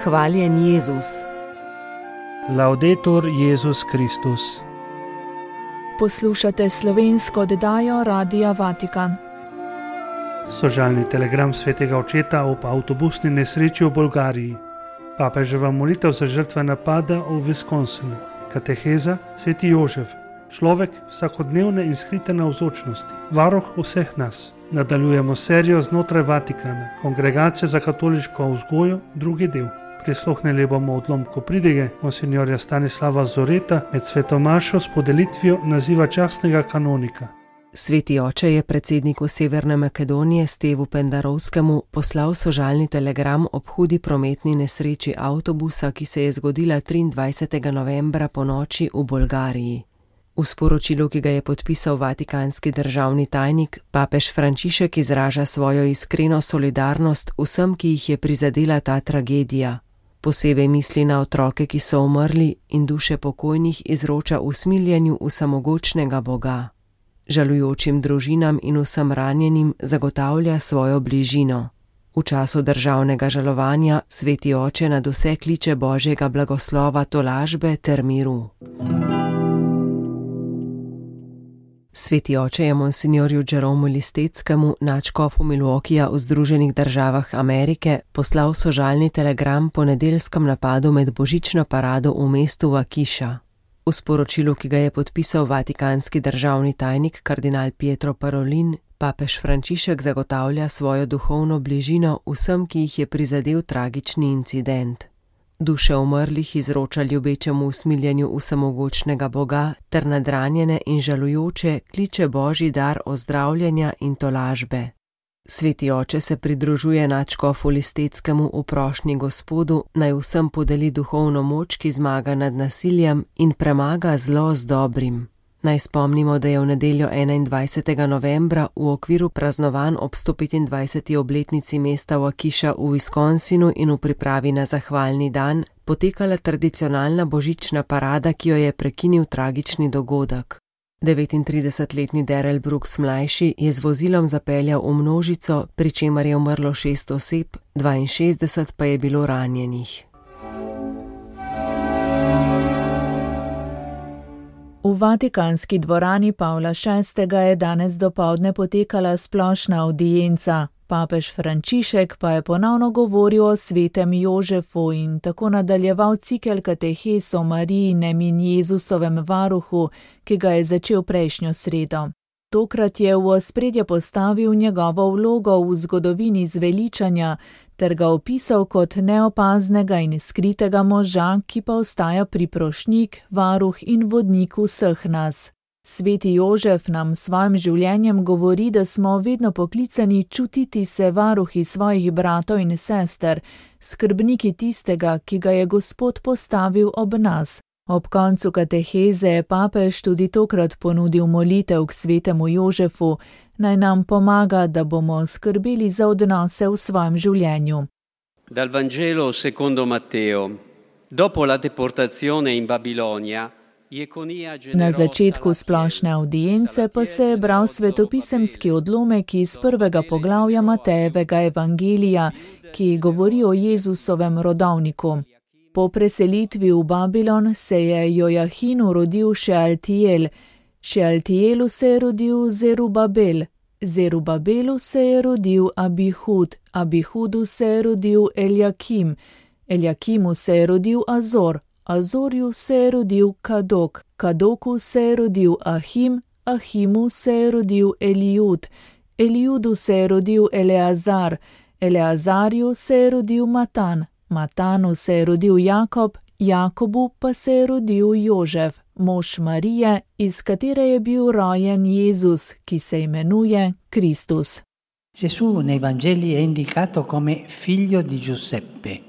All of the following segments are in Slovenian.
Hvaljen Jezus. Laudetur Jezus Kristus. Poslušate slovensko oddajo Radia Vatikan. Sožalni telegram svetega očeta ob avtobusni nesreči v Bolgariji. Papeževa molitev za žrtve napada v Wisconsinu. Kateheza sveti Jožef. Človek vsakodnevne in skrite navzočnosti. Varuh vseh nas. Nadaljujemo serijo znotraj Vatikana. Kongregacija za katoliško vzgojo, drugi del. Prisluhnili bomo odlomku pridige monsinjorja Stanislava Zoreta med svetomašo s podelitvijo naziva častnega kanonika. Sveti oče je predsedniku Severne Makedonije Stevu Pendarovskemu poslal sožalni telegram ob hudi prometni nesreči avtobusa, ki se je zgodila 23. novembra ponoči v Bolgariji. V sporočilu, ki ga je podpisal vatikanski državni tajnik, papež Frančišek izraža svojo iskreno solidarnost vsem, ki jih je prizadela ta tragedija. Posebej misli na otroke, ki so umrli, in duše pokojnih izroča usmiljenju vsemogočnega Boga. Žalujočim družinam in vsem ranjenim zagotavlja svojo bližino. V času državnega žalovanja sveti oče nadvse kliče Božjega blagoslova, tolažbe ter miru. Sveti oče je monsinjorju Jeromu Listeckemu, nadškofu Milwaukeeja v Združenih državah Amerike, poslal sožalni telegram po nedeljskem napadu med božično parado v mestu Waukesha. V sporočilu, ki ga je podpisal vatikanski državni tajnik kardinal Pietro Parolin, papež Frančišek zagotavlja svojo duhovno bližino vsem, ki jih je prizadel tragični incident. Duše umrlih izroča ljubečemu usmiljenju vsemogočnega Boga ter nadranjene in žalujoče kliče Božji dar ozdravljenja in tolažbe. Sveti oče se pridružuje nadškofu Listeckemu v prošnji Gospodu, naj vsem podeli duhovno moč, ki zmaga nad nasiljem in premaga zlo z dobrim. Naj spomnimo, da je v nedeljo 21. novembra v okviru praznovanj ob 125. obletnici mesta Waukesha v Wisconsinu in v pripravi na zahvalni dan potekala tradicionalna božična parada, ki jo je prekinil tragični dogodek. 39-letni Darrell Brooks mlajši je z vozilom zapeljal v množico, pri čemer je umrlo 6 oseb, 62 pa je bilo ranjenih. V vatikanski dvorani Pavla VI. Je danes dopoldne potekala splošna avdienca. Papež Frančišek pa je ponovno govoril o svetem Jožefu in tako nadaljeval cikel katehez o Marijinem in Jezusovem varuhu, ki ga je začel prejšnjo sredo. Tokrat je v ospredje postavil njegovo vlogo v zgodovini zveličanja ter ga opisal kot neopaznega in skritega moža, ki pa ostaja priprošnjik, varuh in vodnik vseh nas. Sveti Jožef nam s svojim življenjem govori, da smo vedno poklicani čutiti se varuhi svojih bratov in sester, skrbniki tistega, ki ga je Gospod postavil ob nas. Ob koncu kateheze je papež tudi tokrat ponudil molitev k svetemu Jožefu, naj nam pomaga, da bomo skrbeli za odnose v svojem življenju. Dal Vangelo secondo Matteo. Dopo la deportazione in Babilonia, na začetku splošne avdience pa se je bral svetopisemski odlomek iz 1. poglavja Matejevega evangelija, ki govori o Jezusovem rodovniku. Po preselitvi v Babilon se je Jojahinu rodil Šealtiel, Šealtielu se je rodil Zerubabel, Zerubabelu se je rodil Abihud, Abihudu se je rodil Eljakim, Eljakimu se je rodil Azor, Azorju se je rodil Kadok, Kadoku se je rodil Ahim, Ahimu se je rodil Elijud, Elijudu se je rodil Eleazar, Eleazarju se je rodil Matan, Matanu se je rodil Jakob, Jakobu pa se je rodil Jožef, mož Marije, iz katere je bil rojen Jezus, ki se imenuje Kristus. Gesù nei Vangeli è indicato come figlio di Giuseppe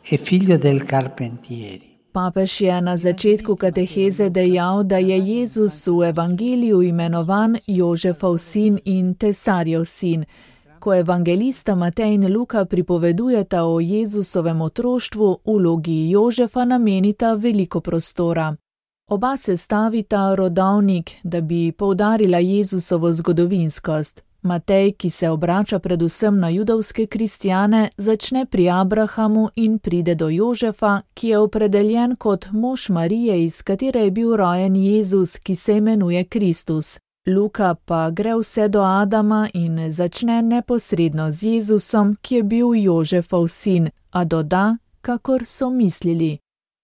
e figlio del carpentieri. Papež je na začetku kateheze dejal, da je Jezus v evangeliju imenovan Jožefov sin in Tesarjev sin. Ko evangelista Matej in Luka pripovedujeta o Jezusovem otroštvu, vlogi Jožefa namenita veliko prostora. Oba sestavita rodovnik, da bi poudarila Jezusovo zgodovinskost. Matej, ki se obrača predvsem na judovske kristjane, začne pri Abrahamu in pride do Jožefa, ki je opredeljen kot mož Marije, iz katere je bil rojen Jezus, ki se imenuje Kristus. Luka pa gre vse do Adama in začne neposredno z Jezusom, ki je bil Jožefov sin, a doda, kakor so mislili.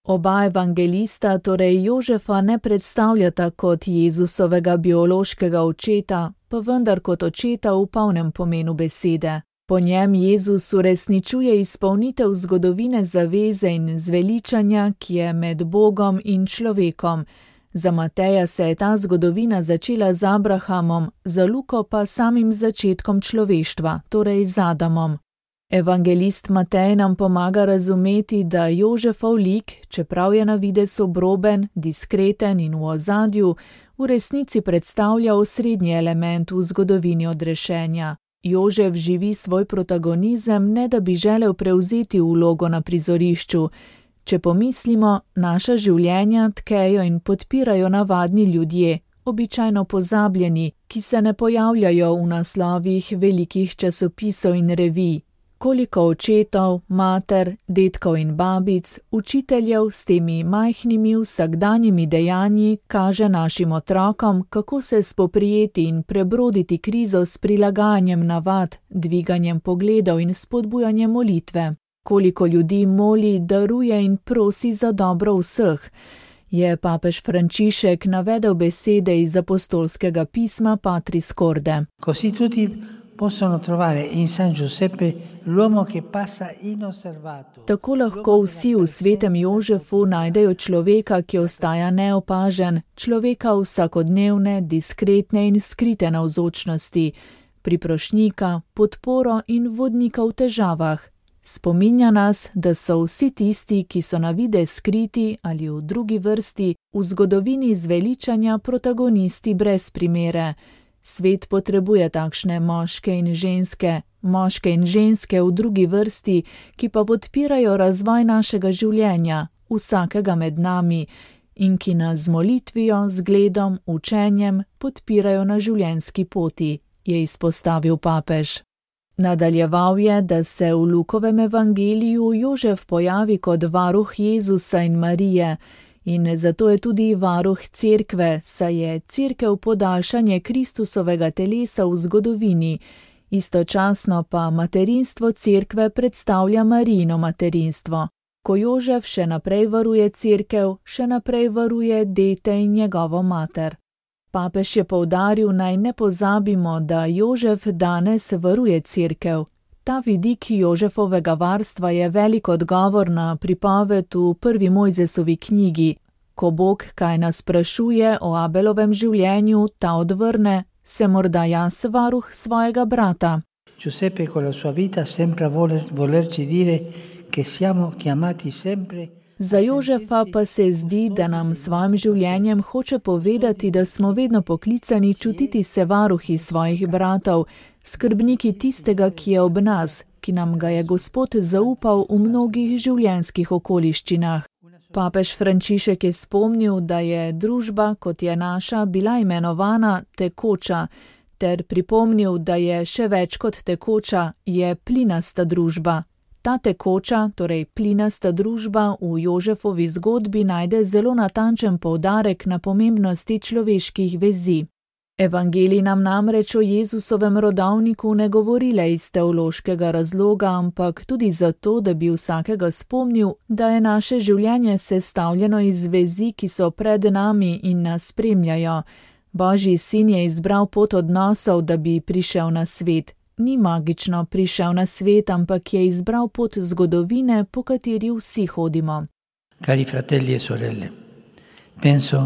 Oba evangelista torej Jožefa ne predstavljata kot Jezusovega biološkega očeta, pa vendar kot očeta v polnem pomenu besede. Po njem Jezus uresničuje izpolnitev zgodovine zaveze in zveličanja, ki je med Bogom in človekom. Za Mateja se je ta zgodovina začela z Abrahamom, za Luko pa samim začetkom človeštva, torej z Adamom. Evangelist Matej nam pomaga razumeti, da Jožefov lik, čeprav je na videz obroben, diskreten in v ozadju, v resnici predstavlja osrednji element v zgodovini odrešenja. Jožef živi svoj protagonizem, ne da bi želel prevzeti vlogo na prizorišču. Če pomislimo, naša življenja tkejo in podpirajo navadni ljudje, običajno pozabljeni, ki se ne pojavljajo v naslovih velikih časopisov in revij. Koliko očetov, mater, dedkov in babic, učiteljev s temi majhnimi vsakdanjimi dejanji kaže našim otrokom, kako se spoprijeti in prebroditi krizo s prilagajanjem navad, dviganjem pogledov in spodbujanjem molitve. Koliko ljudi moli, daruje in prosi za dobro vseh, je papež Frančišek navedel besede iz apostolskega pisma Patris Corde. Così tutti possono trovare in San Giuseppe l'uomo che passa inosservato. Tako lahko vsi v svetem Jožefu najdejo človeka, ki ostaja neopažen, človeka vsakodnevne, diskretne in skrite navzočnosti, priprošnjika, podporo in vodnika v težavah. Spominja nas, da so vsi tisti, ki so na videz skriti ali v drugi vrsti, v zgodovini zveličanja protagonisti brez primere. Svet potrebuje takšne moške in ženske v drugi vrsti, ki pa podpirajo razvoj našega življenja, vsakega med nami, in ki nas z molitvijo, zgledom, učenjem podpirajo na življenjski poti, je izpostavil papež. Nadaljeval je, da se v Lukovem evangeliju Jožef pojavi kot varuh Jezusa in Marije, in zato je tudi varuh cerkve, saj je cerkev podaljšanje Kristusovega telesa v zgodovini, istočasno pa materinstvo cerkve predstavlja Marijino materinstvo. Ko Jožef še naprej varuje cerkev, še naprej varuje dete in njegovo mater. Papež je poudaril, naj ne pozabimo, da Jožef danes varuje cerkev. Ta vidik Jožefovega varstva je velik odgovor na pripoved v prvi Mojzesovi knjigi. Ko Bog kaj nas sprašuje o Abelovem življenju, ta odvrne, se morda jaz varuh svojega brata. Giuseppe con la sua vita sembra volerci dire che siamo chiamati sempre. Za Jožefa pa se zdi, da nam s svojim življenjem hoče povedati, da smo vedno poklicani čutiti se varuhi svojih bratov, skrbniki tistega, ki je ob nas, ki nam ga je Gospod zaupal v mnogih življenjskih okoliščinah. Papež Frančišek je spomnil, da je družba, kot je naša, bila imenovana tekoča, ter pripomnil, da je še več kot tekoča, je plinasta družba. Ta tekoča, torej plinasta družba v Jožefovi zgodbi najde zelo natančen poudarek na pomembnosti človeških vezi. Evangelij nam namreč o Jezusovem rodovniku ne govori le iz teološkega razloga, ampak tudi zato, da bi vsakega spomnil, da je naše življenje sestavljeno iz vezi, ki so pred nami in nas spremljajo. Božji sin je izbral pot odnosov, da bi prišel na svet. Ni magično prišel na svet, ampak je izbral pot zgodovine, po kateri vsi hodimo. Cari fratelli e sorelle, penso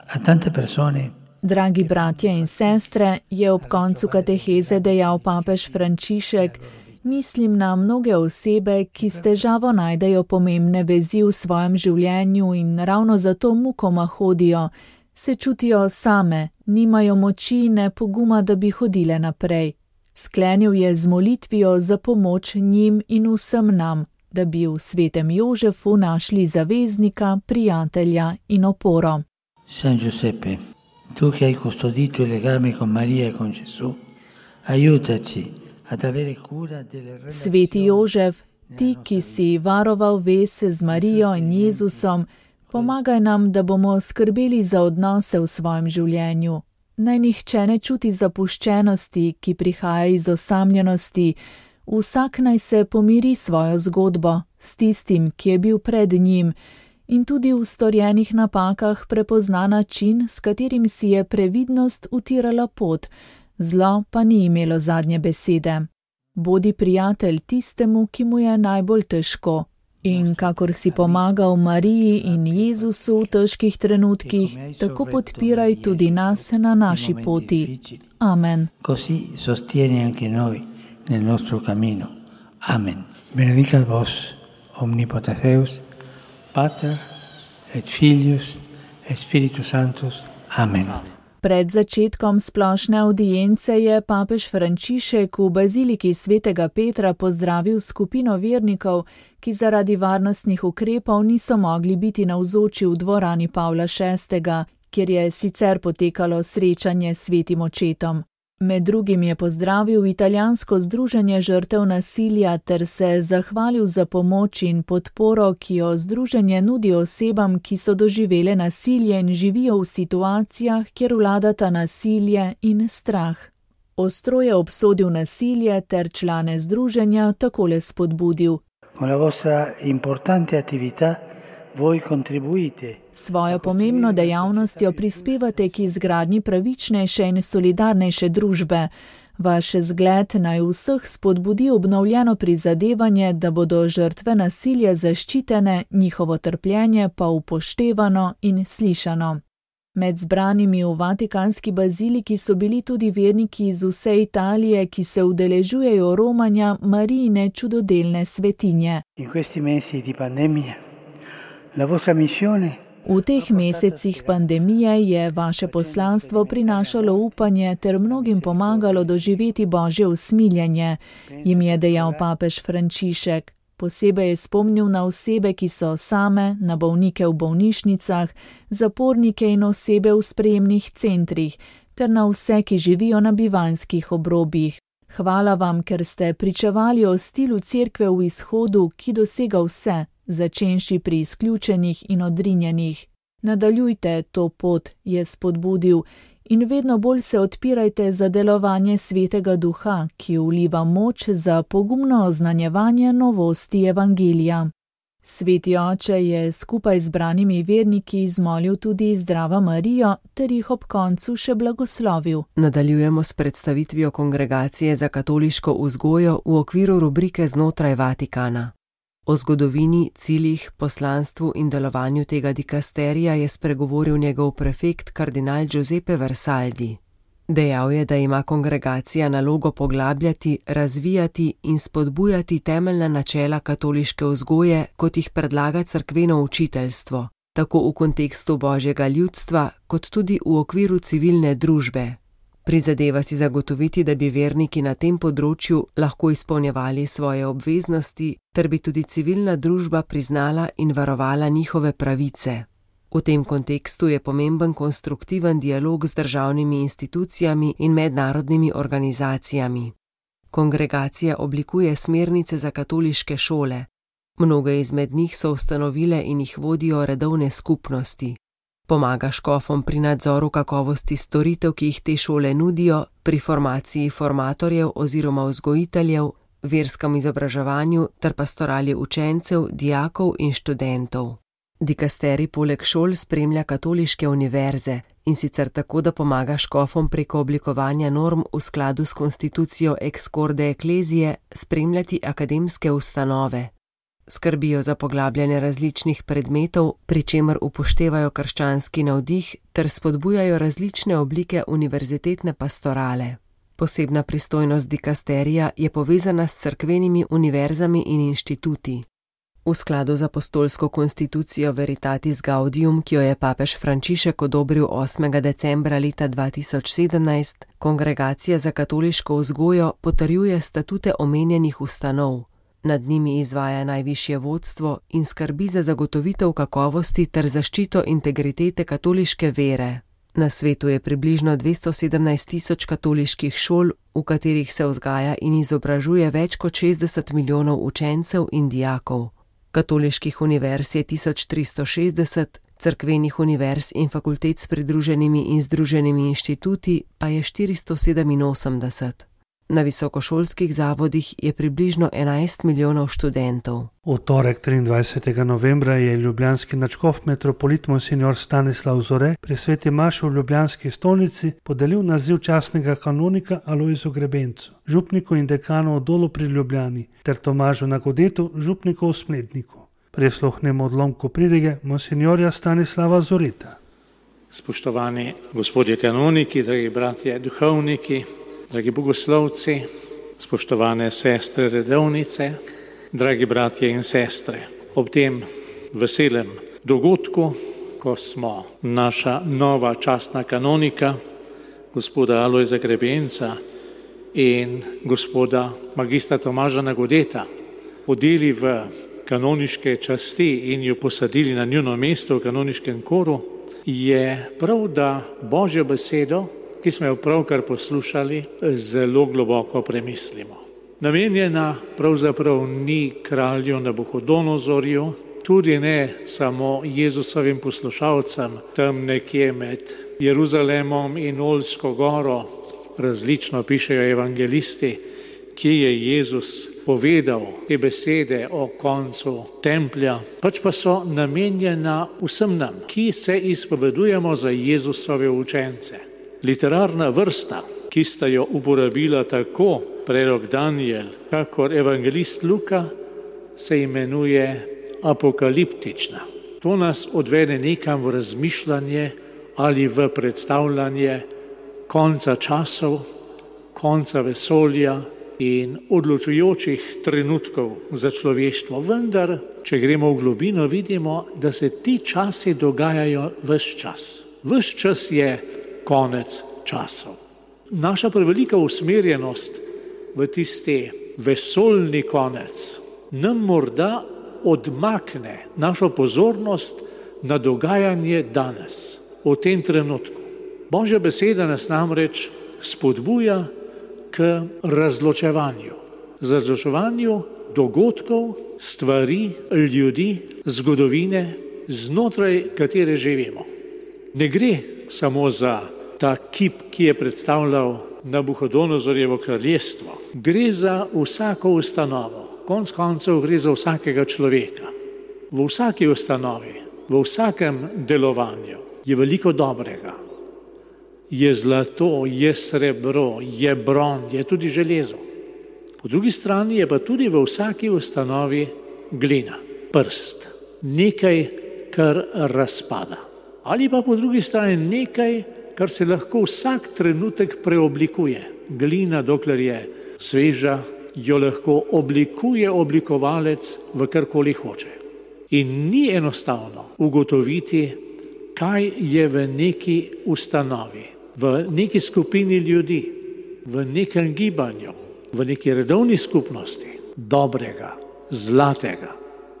a tante persone. Dragi bratje in sestre, je ob koncu kateheze dejal papež Frančišek, mislim na mnoge osebe, ki s težavo najdejo pomembne vezi v svojem življenju in ravno zato mukoma hodijo, se čutijo same, nimajo moči ne poguma, da bi hodile naprej. Sklenil je z molitvijo za pomoč njim in vsem nam, da bi v svetem Jožefu našli zaveznika, prijatelja in oporo. San Giuseppe, tu che hai custodito il legame con Maria e con Gesù, Sveti Jožef, ti, ki si varoval vez z Marijo in Jezusom, pomagaj nam, da bomo skrbeli za odnose v svojem življenju. Naj nihče ne čuti zapuščenosti, ki prihaja iz osamljenosti. Vsak naj se pomiri svojo zgodbo s tistim, ki je bil pred njim, in tudi v storjenih napakah prepozna način, s katerim si je previdnost utirala pot, zlo pa ni imelo zadnje besede. Bodi prijatelj tistemu, ki mu je najbolj težko. In kakor si pomagal Mariji in Jezusu v težkih trenutkih, tako podpiraj tudi nas na naši poti. Amen. Così sostieni anche noi nel nostro cammino. Amen. Benedicat vos, omnipotens Deus, Pater et Filius et Spiritus Sanctus. Amen. Pred začetkom splošne avdience je papež Frančišek v baziliki svetega Petra pozdravil skupino vernikov, ki zaradi varnostnih ukrepov niso mogli biti navzoči v dvorani Pavla VI., kjer je sicer potekalo srečanje s svetim očetom. Med drugim je pozdravil italijansko združenje žrtev nasilja ter se zahvalil za pomoč in podporo, ki jo združenje nudi osebam, ki so doživele nasilje in živijo v situacijah, kjer vladata nasilje in strah. Ostro je obsodil nasilje ter člane združenja takole spodbudil. Con la vostra importante attività voi contribuite. Svojo pomembno dejavnostjo prispevate k izgradnji pravičnejše in solidarnejše družbe. Vaš zgled naj vseh spodbudi obnovljeno prizadevanje, da bodo žrtve nasilja zaščitene, njihovo trpljenje pa upoštevano in slišano. Med zbranimi v Vatikanski baziliki so bili tudi verniki iz vse Italije, ki se udeležujejo romanja Marijine čudodelne svetinje. In questi mesi di pandemia la vostra missione. V teh mesecih pandemije je vaše poslanstvo prinašalo upanje ter mnogim pomagalo doživeti Božje usmiljenje, jim je dejal papež Frančišek. Posebej je spomnil na osebe, ki so same, na bolnike v bolnišnicah, zapornike in osebe v sprejemnih centrih, ter na vse, ki živijo na bivanjskih obrobjih. Hvala vam, ker ste pričevali o stilu cerkve v izhodu, ki dosega vse, začenši pri izključenih in odrinjenih. Nadaljujte to pot, je spodbudil, in vedno bolj se odpirajte za delovanje Svetega Duha, ki vliva moč za pogumno oznanjevanje novosti evangelija. Sveti oče je skupaj z zbranimi verniki izmolil tudi Zdrava Marijo ter jih ob koncu še blagoslovil. Nadaljujemo s predstavitvijo Kongregacije za katoliško vzgojo v okviru rubrike Znotraj Vatikana. O zgodovini, ciljih, poslanstvu in delovanju tega dikasterija je spregovoril njegov prefekt kardinal Giuseppe Versaldi. Dejal je, da ima kongregacija nalogo poglabljati, razvijati in spodbujati temeljna načela katoliške vzgoje, kot jih predlaga cerkveno učiteljstvo, tako v kontekstu Božjega ljudstva, kot tudi v okviru civilne družbe. Prizadeva si zagotoviti, da bi verniki na tem področju lahko izpolnjevali svoje obveznosti, ter bi tudi civilna družba priznala in varovala njihove pravice. V tem kontekstu je pomemben konstruktiven dialog z državnimi institucijami in mednarodnimi organizacijami. Kongregacija oblikuje smernice za katoliške šole. Mnoge izmed njih so ustanovile in jih vodijo redovne skupnosti. Pomaga škofom pri nadzoru kakovosti storitev, ki jih te šole nudijo, pri formaciji formatorjev oziroma vzgojiteljev, verskem izobraževanju ter pastorali učencev, dijakov in študentov. Dikasterij poleg šol spremlja katoliške univerze, in sicer tako, da pomaga škofom preko oblikovanja norm v skladu s konstitucijo Ex Corde Ecclesiae spremljati akademske ustanove. Skrbijo za poglabljanje različnih predmetov, pri čemer upoštevajo krščanski navdih ter spodbujajo različne oblike univerzitetne pastorale. Posebna pristojnost dikasterija je povezana s cerkvenimi univerzami in inštituti. V skladu z apostolsko konstitucijo Veritatis Gaudium, ki jo je papež Frančišek odobril 8. decembra leta 2017, Kongregacija za katoliško vzgojo potrjuje statute omenjenih ustanov. Nad njimi izvaja najvišje vodstvo in skrbi za zagotovitev kakovosti ter zaščito integritete katoliške vere. Na svetu je približno 217 tisoč katoliških šol, v katerih se vzgaja in izobražuje več kot 60 milijonov učencev in dijakov. Katoliških univerz je 1360, cerkvenih univerz in fakultet s pridruženimi in združenimi inštituti pa je 487. Na visokošolskih zavodih je približno 11 milijonov študentov. V torek 23. novembra je ljubljanski nadškof metropolit monsignor Stanislav Zore pri sveti maši v ljubljanski stolnici podelil naziv častnega kanonika Alojzu Grebencu, župniku in dekanu v Dolu pri Ljubljani, ter Tomažu Nagodetu, župniku v Smledniku. Prisluhnemo odlomku pridige monsignorja Stanislava Zorita. Spoštovani gospodje kanoniki, dragi bratje duhovniki, dragi bogoslovci, spoštovane sestre redovnice, dragi bratje in sestre, ob tem veselem dogodku, ko smo naša nova častna kanonika, gospoda Alojza Grebenca in gospoda magistra Tomaža Nagodeta, odeli v kanoniške časti in jo posadili na njuno mesto v kanoniškem koru, je prav, da Božjo besedo, ki smo jo pravkar poslušali, zelo globoko premislimo. Namenjena pravzaprav ni kralju Nabuhodonozorju, tudi ne samo Jezusovim poslušalcem, tam nekje med Jeruzalemom in Oljsko goro, različno pišejo evangelisti, kje je Jezus povedal te besede o koncu templja, pač pa so namenjena vsem nam, ki se izpovedujemo za Jezusove učence. Literarna vrsta, ki sta jo uporabila tako prerok Daniel, kakor evangelist Luka, se imenuje apokaliptična. To nas odvede nekam v razmišljanje ali v predstavljanje konca časov, konca vesolja in odločujočih trenutkov za človeštvo. Vendar, če gremo v globino, vidimo, da se ti časi dogajajo ves čas. Ves čas je konec časov. Naša prevelika usmerjenost v tisti vesoljni konec nam morda odmakne našo pozornost na dogajanje danes, v tem trenutku. Božja beseda nas namreč spodbuja k razločevanju. Razločevanju dogodkov, stvari, ljudi, zgodovine, znotraj katere živimo. Ne gre samo za ta kip, ki je predstavljal Nabuhodonozorjevo kraljestvo. Gre za vsako ustanovo. Konec koncev gre za vsakega človeka. V vsaki ustanovi, v vsakem delovanju je veliko dobrega. Je zlato, je srebro, je bron, je tudi železo. Po drugi strani je pa tudi v vsaki ustanovi glina, prst, nekaj, kar razpada. Ali pa po drugi strani nekaj, kar se lahko vsak trenutek preoblikuje. Glina, dokler je sveža, jo lahko oblikuje oblikovalec v karkoli hoče. In ni enostavno ugotoviti, kaj je v neki ustanovi, v neki skupini ljudi, v nekem gibanju, v neki redovni skupnosti, dobrega, zlatega,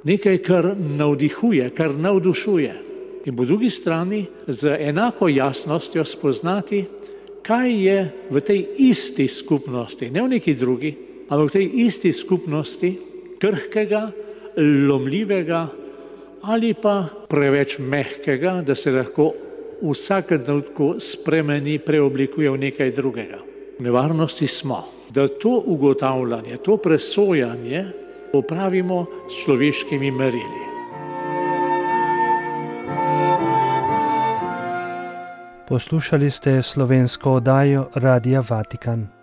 nekaj, kar navdihuje, kar navdušuje. In po drugi strani z enako jasnostjo spoznati, kaj je v tej isti skupnosti, ne v neki drugi, ampak v tej isti skupnosti krhkega, lomljivega ali pa preveč mehkega, da se lahko v vsakem trenutku spremeni, preoblikuje v nekaj drugega. V nevarnosti smo, da to ugotavljanje, to presojanje opravimo s človeškimi merili. Poslušali ste slovensko oddajo Radia Vatikan.